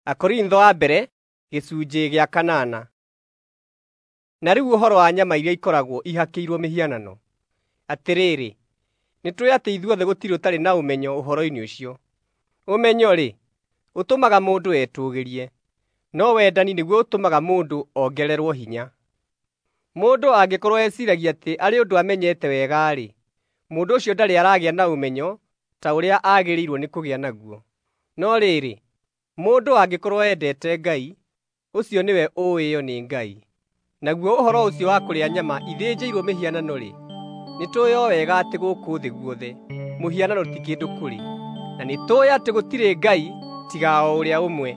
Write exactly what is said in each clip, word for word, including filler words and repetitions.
Akorintho wa mbere gĩcunjĩ gĩa kanana. Na rĩu ũhoro wa nyama iria ikoragwo ihakĩirwo mĩhianano. Atĩrĩrĩ, nĩtũũĩ atĩ ithuothe gũtirĩ ũtarĩ na ũmenyo ũhoro-inĩ ũcio. Ũmenyo-rĩ, ũtũmaga mũndũ etũũgĩrie, no wendani nĩguo ũtũmaga mũndũ ongererwo hinya. Mũndũ angĩkorwo eciiragia atĩ arĩ ũndũ amenyete wega-rĩ, mũndũ ũcio ndarĩ aragĩa na ũmenyo ta ũrĩa aagĩrĩirwo nĩ kũgĩa naguo. No rĩrĩ, mũndũ angĩkorwo endete Ngai, ũcio nĩwe ũũĩo nĩ Ngai. Naguo ũhoro ũcio wa kũrĩa nyama ithĩnjĩirwo mĩhianano-rĩ, nĩtũũĩ o wega atĩ gũkũ thĩ guothe mũhianano ti kĩndũ kũrĩ, na nĩtũũĩ atĩ gũtirĩ Ngai tiga o ũrĩa ũmwe.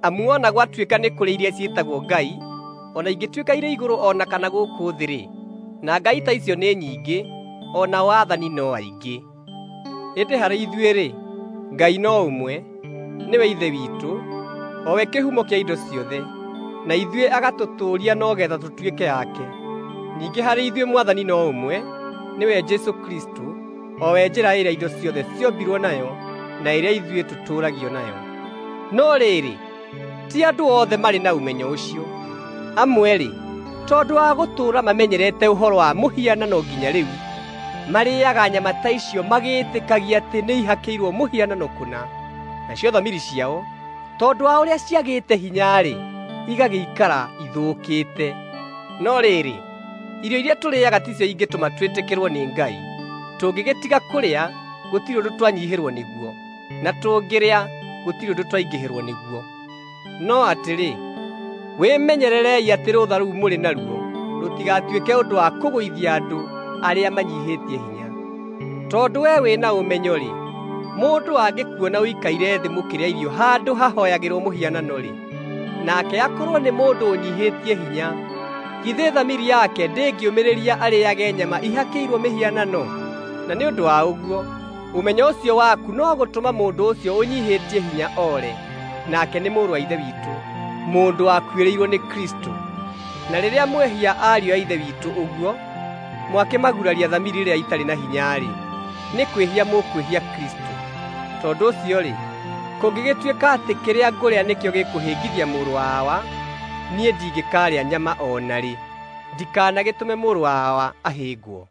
Amu o na gwatuĩka nĩ kũrĩ iria ciĩtagwo ngai, o na ingĩtuĩka irĩ igũrũ o na kana gũkũ thĩ-rĩ, na ngai ta icio nĩ nyingĩ, o nao aathani no aingĩ. Ĩndĩ harĩ ithuĩ-rĩ, Ngai no ũmwe, nĩwe Ithe witũ, o we kĩhumo kĩa indo ciothe, na ithuĩ agatũtũũria no getha tũtuĩke ake. Ningĩ harĩ ithuĩ Mwathani no ũmwe, nĩwe Jesũ Kristũ, o we njĩra ĩrĩa indo ciothe ciombirwo nayo na ĩrĩa ithuĩ tũtũũragio nayo. No rĩrĩ, ti andũ othe marĩ na ũmenyo ũcio. Amwe-rĩ, tondũ wa gũtũũra mamenyerete ũhoro wa mũhianano nginya rĩu, marĩĩaga nyama ta icio magĩĩtĩkagia atĩ nĩihakĩirwo mũhianano kũna. Nacio thamiri ciao, tondũ wa ũrĩa ciagĩte hinya-rĩ, igagĩikara ithũkĩte. No rĩrĩ, irio iria tũrĩĩaga ticio ingĩtũma twĩtĩkĩrwo nĩ Ngai. Tũngĩgĩtiga kũrĩa, gũtirĩ ũndũ twanyihĩrwo nĩguo, na tũngĩrĩa, gũtirĩ ũndũ twaingĩhĩrwo nĩguo. No atĩrĩ, wĩmenyererei atĩ rũtha rũu mũrĩ naruo rũtigatuĩke ũndũ wa kũgũithia andũ arĩa manyihĩtie hinya. Tondũ we wĩna ũmenyo-rĩ, mũndũ angĩkuona ũikaire thĩ mũkĩrĩa irio handũ hahooyagĩrwo mũhianano-rĩ, nake akorwo nĩ mũndũ ũnyihĩtie hinya, githĩ thamiri yake ndĩngĩũmĩrĩria arĩĩage nyama ihakĩirwo mĩhianano? Na nĩ ũndũ wa ũguo, ũmenyo ũcio waku no gũtũma mũndũ ũcio ũnyihĩtie hinya ore, nake nĩ mũrũ wa Ithe witũ, mũndũ wakuĩrĩirwo nĩ Kristũ. Na rĩrĩa mwehia ariũ a Ithe witũ ũguo, mwakĩmaguraria thamiri ĩrĩa itarĩ na hinya-rĩ, nĩ kwĩhia mũkwĩhia Kristũ. Tondũ ũcio-rĩ, kũngĩgĩtuĩka atĩ kĩrĩa ngũrĩa nĩkĩo gĩkũhĩngithia mũrũ wa Awa, niĩ ndingĩkaarĩa nyama o na rĩ, ndikanagĩtũme mũrũ wa Awa ahĩngwo.